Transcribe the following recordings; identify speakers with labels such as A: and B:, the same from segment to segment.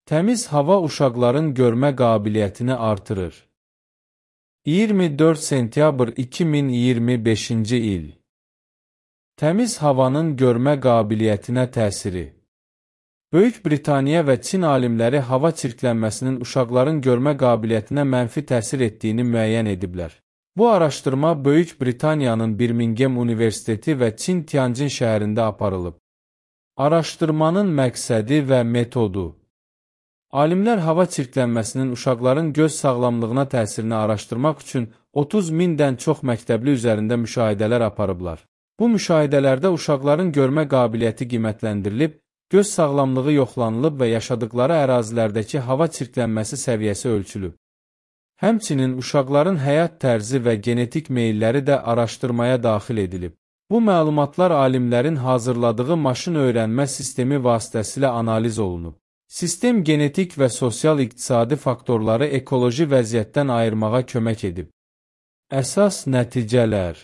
A: Təmiz hava uşaqların görmə qabiliyyətini artırır. 24 sentyabr 2025-ci il. Təmiz havanın görmə qabiliyyətinə təsiri. Böyük Britaniya və Çin alimləri hava çirklənməsinin uşaqların görmə qabiliyyətinə mənfi təsir etdiyini müəyyən ediblər. Bu araşdırma Böyük Britaniyanın Birmingham Universiteti və Çin Tianjin şəhərində aparılıb. Araşdırmanın məqsədi və metodu. Alimlər hava çirklənməsinin uşaqların göz sağlamlığına təsirini araşdırmaq üçün 30 mindən çox məktəbli üzərində müşahidələr aparıblar. Bu müşahidələrdə uşaqların görmə qabiliyyəti qiymətləndirilib, göz sağlamlığı yoxlanılıb və yaşadıkları ərazilərdəki hava çirklənməsi səviyyəsi ölçülüb. Həmçinin uşaqların həyat tərzi və genetik meyilləri də araşdırmaya daxil edilib. Bu məlumatlar alimlərin hazırladığı maşın öyrənmə sistemi vasitəsilə analiz olunub. Sistem genetik və sosial-iqtisadi faktorları ekoloji vəziyyətdən ayırmağa kömək edib. Əsas nəticələr.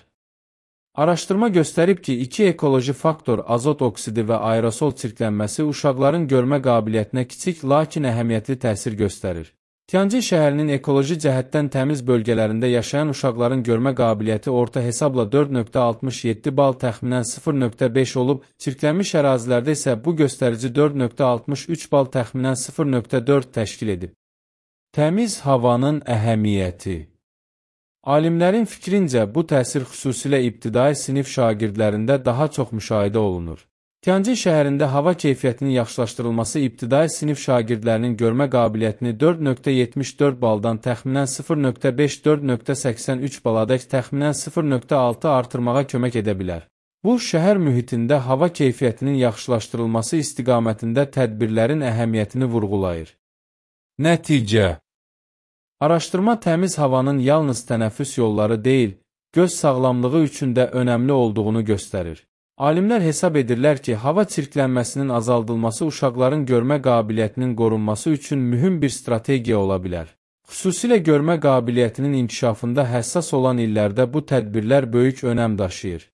A: Araşdırma göstərib ki, iki ekoloji faktor azot oksidi və aerosol çirklənməsi uşaqların görmə qabiliyyətinə kiçik, lakin əhəmiyyətli təsir göstərir. Tianjin şəhərinin ekoloji cəhətdən təmiz bölgələrində yaşayan uşaqların görmə qabiliyyəti orta hesabla 4.67 bal təxminən 0.5 olub, çirklənmiş ərazilərdə isə bu göstərici 4.63 bal təxminən 0.4 təşkil edib. Təmiz havanın əhəmiyyəti. Alimlərin fikrincə, bu təsir xüsusilə ibtidai sinif şagirdlərində daha çox müşahidə olunur. Tianjin şəhərində hava keyfiyyətinin yaxşılaşdırılması ibtidai sinif şagirdlərinin görmə qabiliyyətini 4.74 baldan təxminən 0.5-4.83 baladək təxminən 0.6 artırmağa kömək edə bilər. Bu, şəhər mühitində hava keyfiyyətinin yaxşılaşdırılması istiqamətində tədbirlərin əhəmiyyətini vurğulayır. Nəticə. Araşdırma təmiz havanın yalnız tənəffüs yolları deyil, göz sağlamlığı üçün də önəmli olduğunu göstərir. Alimlər hesab edirlər ki, hava çirklənməsinin azaldılması uşaqların görmə qabiliyyətinin qorunması üçün mühüm bir strategiya ola bilər. Xüsusilə görmə qabiliyyətinin inkişafında həssas olan illərdə bu tədbirlər böyük önəm daşıyır.